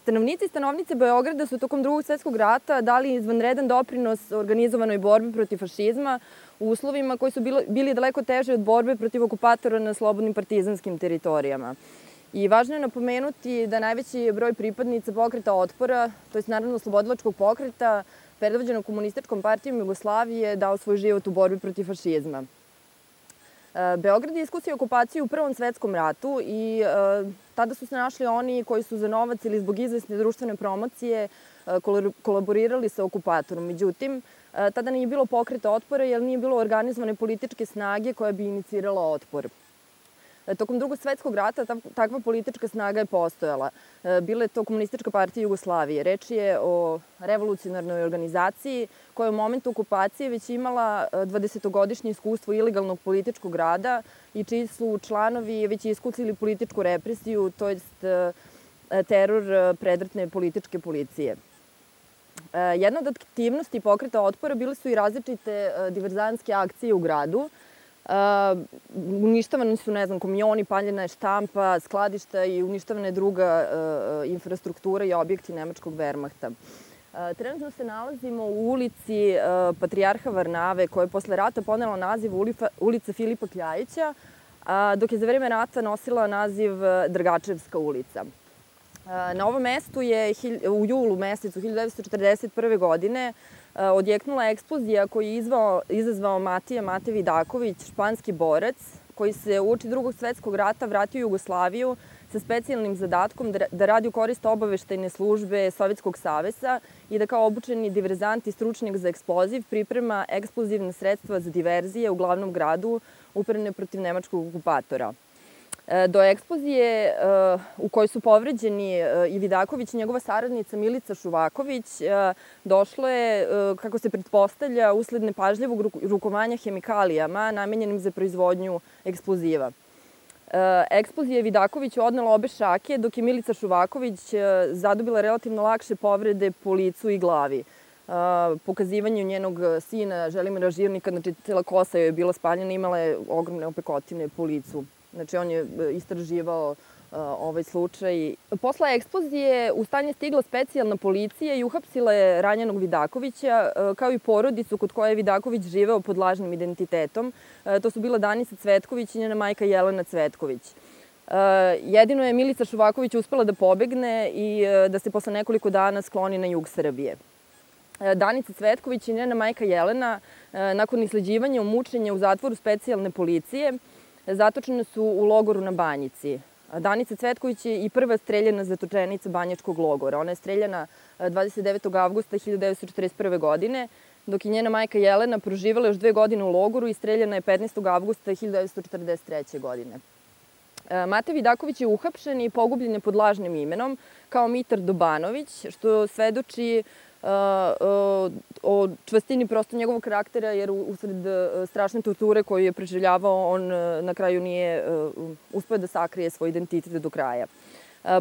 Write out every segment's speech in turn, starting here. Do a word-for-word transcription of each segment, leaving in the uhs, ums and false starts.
Stanovnici i stanovnice Beograda su tokom Drugog svetskog rata dali izvanredan doprinos organizovanoj borbi protiv fašizma u uslovima koji su bili daleko teži od borbe protiv okupatora na slobodnim partizanskim teritorijama. I važno je napomenuti da najveći broj pripadnica pokreta otpora, to je naravno oslobodilačkog pokreta, predvođenog Komunističkom partijom Jugoslavije, dao svoj život u borbi protiv fašizma. Beograd je iskusio okupaciju u Prvom svetskom ratu i tada su se našli oni koji su za novac ili zbog izvesne društvene promocije kolaborirali sa okupatorom. Međutim, tada nije bilo pokreta otpora jer nije bilo organizovane političke snage koja bi inicirala otpor. Tokom Drugog svetskog rata takva politička snaga je postojala. Bila je to Komunistička partija Jugoslavije. Reč je o revolucionarnoj organizaciji koja je u momentu okupacije već imala dvadesetogodišnje iskustvo ilegalnog političkog rada i čiji su članovi već iskusili političku represiju, to jest teror predratne političke policije. Jedna od aktivnosti pokreta otpora bile su i različite diverzantske akcije u gradu. Uništavani su, ne znam, kamioni, paljena je štampa, skladišta i uništavana je druga infrastruktura i objekti nemačkog Wehrmachta. Trenutno se nalazimo u ulici Patrijarha Varnave, koja je posle rata ponela naziv ulica Filipa Kljajića, dok je za vreme rata nosila naziv Dragačevska ulica. Na ovom mestu je u julu mesecu hiljadu devetsto četrdeset prve. godine odjeknula eksplozija koju je izazvao Matija Mate Vidaković, španski borac, koji se uoči Drugog svetskog rata vratio u Jugoslaviju sa specijalnim zadatkom da radi u korist obaveštajne službe Sovjetskog saveza i da kao obučeni diverzant i stručnjak za eksploziv priprema eksplozivne sredstva za diverzije u glavnom gradu uperene protiv nemačkog okupatora. Do eksplozije u kojoj su povređeni i Vidaković i njegova saradnica Milica Šuvaković došlo je, kako se pretpostavlja, usled nepažljivog rukovanja hemikalijama namenjenim za proizvodnju eksploziva. Eksplozija je Vidakoviću odnela obe šake, dok je Milica Šuvaković zadobila relativno lakše povrede po licu i glavi. Pokazivanju njenog sina Želimira Žirnika, znači cela kosa joj je bila spaljena, imala je ogromne opekotine po licu. Znači, on je istraživao ovaj slučaj. Posle eksplozije u stanje stigla specijalna policija i uhapsila je ranjenog Vidakovića, kao i porodicu kod koje je Vidaković živeo pod lažnim identitetom. To su bila Danica Cvetković i njena majka Jelena Cvetković. Jedino je Milica Šuvaković uspela da pobegne i da se posle nekoliko dana skloni na jug Srbije. Danica Cvetković i njena majka Jelena, nakon isleđivanja i mučenja u zatvoru specijalne policije, zatočene su u logoru na Banjici. Danica Cvetković je i prva streljana zatočenica banjačkog logora. Ona je streljana dvadeset devetog avgusta hiljadu devetsto četrdeset prve. godine, dok je njena majka Jelena proživala još dve godine u logoru i streljana je petnaestog avgusta hiljadu devetsto četrdeset treće. godine. Mate Vidaković je uhapšen i pogubljen je pod lažnim imenom kao Mitar Dobanović, što svedoči o čvrstini prosto njegovog karaktera, jer usred strašne torture koju je preživljavao, on na kraju nije uspeo da sakrije svoj identitet do kraja.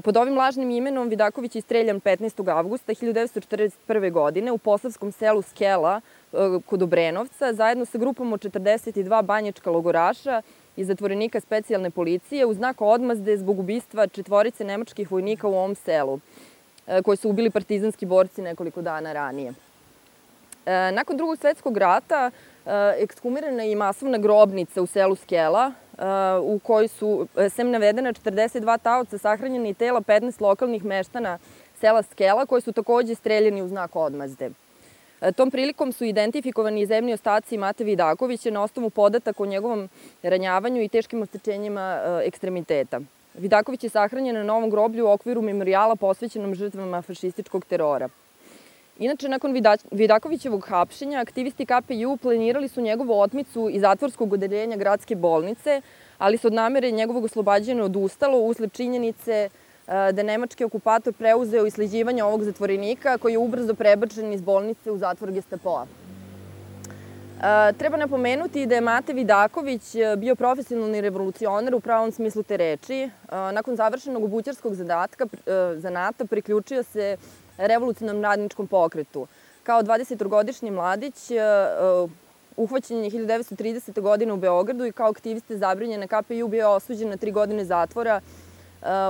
Pod ovim lažnim imenom Vidaković je streljan petnaestog avgusta hiljadu devetsto četrdeset prve. godine u posavskom selu Skela kod Obrenovca, zajedno sa grupom od četrdeset dva banjačka logoraša i zatvorenika specijalne policije u znak odmazde zbog ubistva četvorice nemačkih vojnika u ovom selu, koji su ubili partizanski borci nekoliko dana ranije. Nakon Drugog svetskog rata ekshumirana je i masovna grobnica u selu Skela, u kojoj su, sem navedena, četrdeset dva taoca sahranjena i tela petnaest lokalnih meštana sela Skela, koji su takođe streljani u znak odmazde. Tom prilikom su identifikovani i zemni ostaci Mate Vidakovića na osnovu podataka o njegovom ranjavanju i teškim oštećenjima ekstremiteta. Vidaković je sahranjen na novom groblju u okviru memorijala posvećenom žrtvama fašističkog terora. Inače, nakon Vidakovićevog hapšenja, aktivisti K P J U planirali su njegovu otmicu iz zatvorskog odeljenja gradske bolnice, ali se od namere njegovog oslobađanja odustalo usled činjenice da je nemački okupator preuzeo isleđivanje ovog zatvorenika, koji je ubrzo prebačen iz bolnice u zatvor Gestapoa. Treba napomenuti da je Mate Vidaković bio profesionalni revolucionar u pravom smislu te reči. Nakon završenog obućarskog zanata priključio se revolucionarnom radničkom pokretu. Kao dvadesetogodišnji mladić uhvaćen je hiljadu devetsto tridesete. godine u Beogradu i kao aktiviste zabranjene K P J U bio osuđen na tri godine zatvora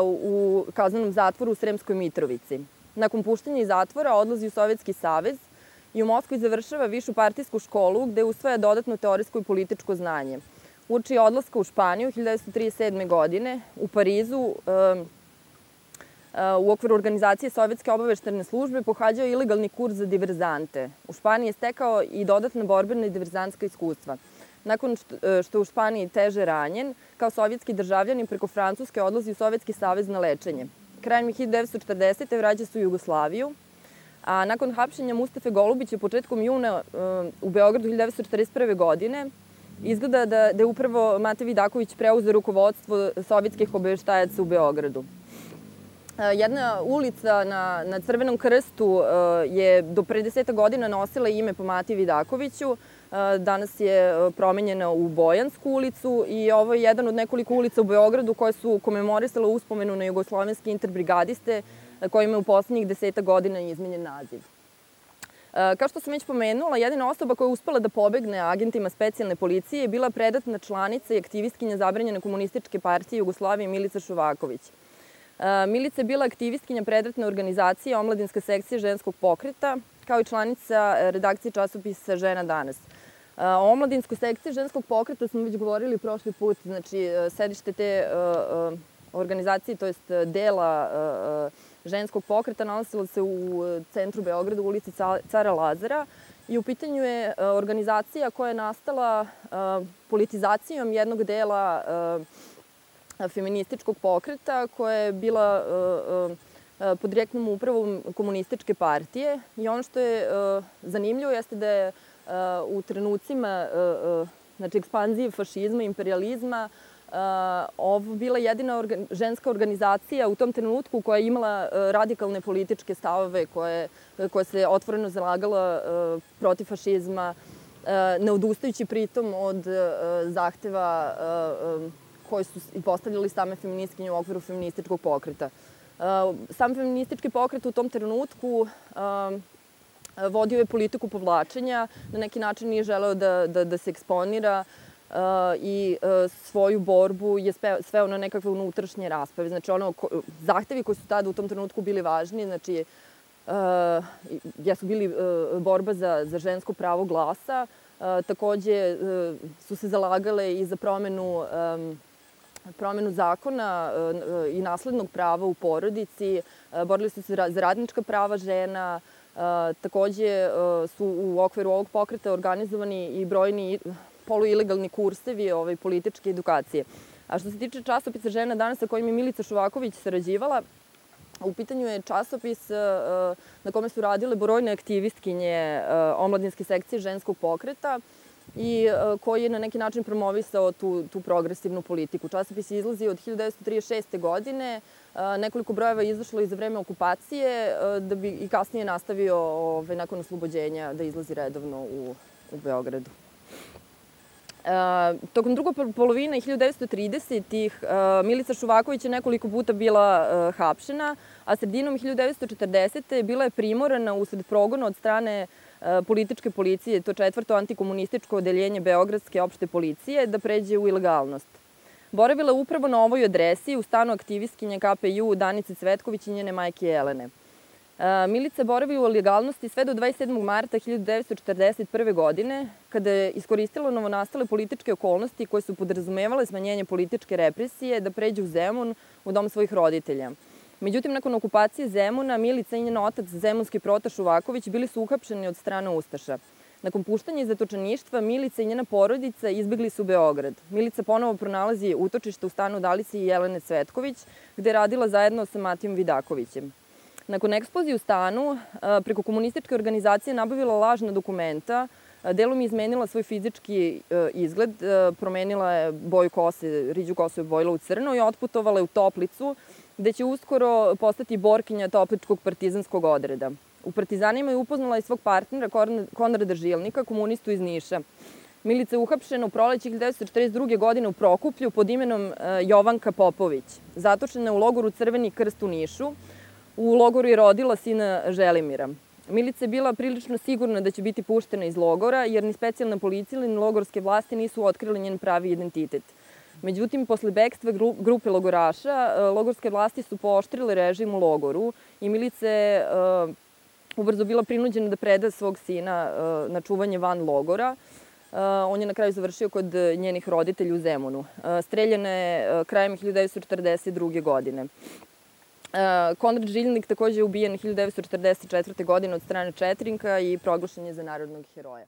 u kaznenom zatvoru u Sremskoj Mitrovici. Nakon puštenja iz zatvora odlazi u Sovjetski savez i u Moskvi završava višu partijsku školu gde usvaja dodatno teorijsko i političko znanje. Uoči odlaska u Španiju hiljadu devetsto trideset sedme. godine u Parizu u okviru organizacije Sovjetske obaveštene službe pohađao ilegalni kurs za diverzante. U Španiji je stekao i dodatna borbena i diverzantska iskustva. Nakon što je u Španiji teže ranjen, kao sovjetski državljanin preko Francuske odlazi u Sovjetski savez na lečenje. Krajem hiljadu devetsto četrdesete. vraća se u Jugoslaviju, a nakon hapšenja Mustafe Golubića početkom juna u Beogradu hiljadu devetsto četrdeset prve. godine izgleda da je upravo Mate Vidaković preuzeo rukovodstvo sovjetskih obaveštajaca u Beogradu. Jedna ulica na, na Crvenom krstu je do pre desetak godina nosila ime po Mati Vidakoviću. Danas je promenjena u Bojansku ulicu i ovo je jedan od nekoliko ulica u Beogradu koje su komemorisale uspomenu na jugoslovenske interbrigadiste kojima je u poslednjih desetak godina izmenjen naziv. Kao što sam već pomenula, jedina osoba koja je uspela da pobegne agentima specijalne policije je bila predatna članica i aktivistkinja zabranjene komunističke partije Jugoslavije Milica Šovaković. Milica je bila aktivistkinja predratne organizacije Omladinska sekcija ženskog pokreta, kao i članica redakcije časopisa Žena danas. O Omladinskoj sekciji ženskog pokreta smo već govorili prošli put, znači sedište te organizacije, to jest dela ženskog pokreta, nalazilo se u centru Beograda, u ulici Cara Lazara, i u pitanju je organizacija koja je nastala politizacijom jednog dela feminističkog pokreta koja je bila pod direktnom upravom komunističke partije. I ono što je zanimljivo jeste da je u trenucima znači, ekspanzije fašizma i imperializma ovo bila jedina ženska organizacija u tom trenutku koja je imala radikalne političke stavove, koja se otvoreno zalagala protiv fašizma, ne odustajući pritom od zahteva koji su postavljali same feministkinje u okviru feminističkog pokreta. Sam feministički pokret u tom trenutku vodio je politiku povlačenja, na neki način nije želeo da, da, da se eksponira i svoju borbu je sveo na nekakve unutrašnje rasprave. Znači, ono, zahtevi koji su tada u tom trenutku bili važni, znači, jesu bili borba za, za žensko pravo glasa, takođe su se zalagale i za promenu promenu zakona i naslednog prava u porodici, borili su se za radnička prava žena, takođe su u okviru ovog pokreta organizovani i brojni poluilegalni kursevi ovaj, političke edukacije. A što se tiče časopisa Žena danas sa kojim je Milica Šovaković sarađivala, u pitanju je časopis na kome su radile brojne aktivistkinje Omladinske sekcije ženskog pokreta i koji je na neki način promovisao tu, tu progresivnu politiku. Časopis je izlazio od hiljadu devetsto trideset šeste. godine, nekoliko brojeva je izašlo i za vreme okupacije, da bi i kasnije nastavio ovaj, nakon oslobođenja da izlazi redovno u, u Beogradu. E, tokom drugo polovine hiljadu devetsto tridesetih. Milica Šovaković je nekoliko puta bila e, hapšena, a sredinom hiljadu devetsto četrdesete. bila je primorana usled progona od strane e, političke policije, to četvrto antikomunističko odeljenje Beogradske opšte policije, da pređe u ilegalnost. Boravila je upravo na ovoj adresi u stanu aktivistkinje K P J U Danice Cvetković i njene majke Jelene. Milica boravi u ilegalnosti sve do dvadeset sedmog marta hiljadu devetsto četrdeset prve. godine, kada je iskoristila novonastale političke okolnosti koje su podrazumevale smanjenje političke represije da pređe u Zemun, u dom svojih roditelja. Međutim, nakon okupacije Zemuna, Milica i njen otac, zemunski Prota Šovaković, bili su uhapšeni od strane ustaša. Nakon puštanja iz zatočeništva, Milica i njena porodica izbegli su u Beograd. Milica ponovo pronalazi utočište u stanu Dalice i Jelene Cvetković, gde je radila zajedno sa Matijom Vidakovićem. Nakon eksplozije u stanu, preko komunističke organizacije nabavila lažna dokumenta, delom je izmenila svoj fizički izgled, promenila je boju kose, riđu kosu je bojila u crno i otputovala je u Toplicu, gde će uskoro postati borkinja Topličkog partizanskog odreda. U Partizanima je upoznala i svog partnera Konrada Žilnika, komunistu iz Niša. Milica je uhapšena u proleće hiljadu devetsto četrdeset druge. godine u Prokuplju pod imenom Jovanka Popović. Zatočena je u logoru Crveni krst u Nišu. U logoru je rodila sina Želimira. Milica je bila prilično sigurna da će biti puštena iz logora, jer ni specijalna policija ni logorske vlasti nisu otkrili njen pravi identitet. Međutim, posle bekstva grupe logoraša, logorske vlasti su pooštrile režim u logoru i Milica je ubrzo bila prinuđena da preda svog sina na čuvanje van logora. On je na kraju završio kod njenih roditelja u Zemunu. Streljana je krajem hiljadu devetsto četrdeset druge. godine. Konrad Žilnik takođe je ubijen hiljadu devetsto četrdeset četvrte. godine od strane Četrinka i proglašen je za narodnog heroja.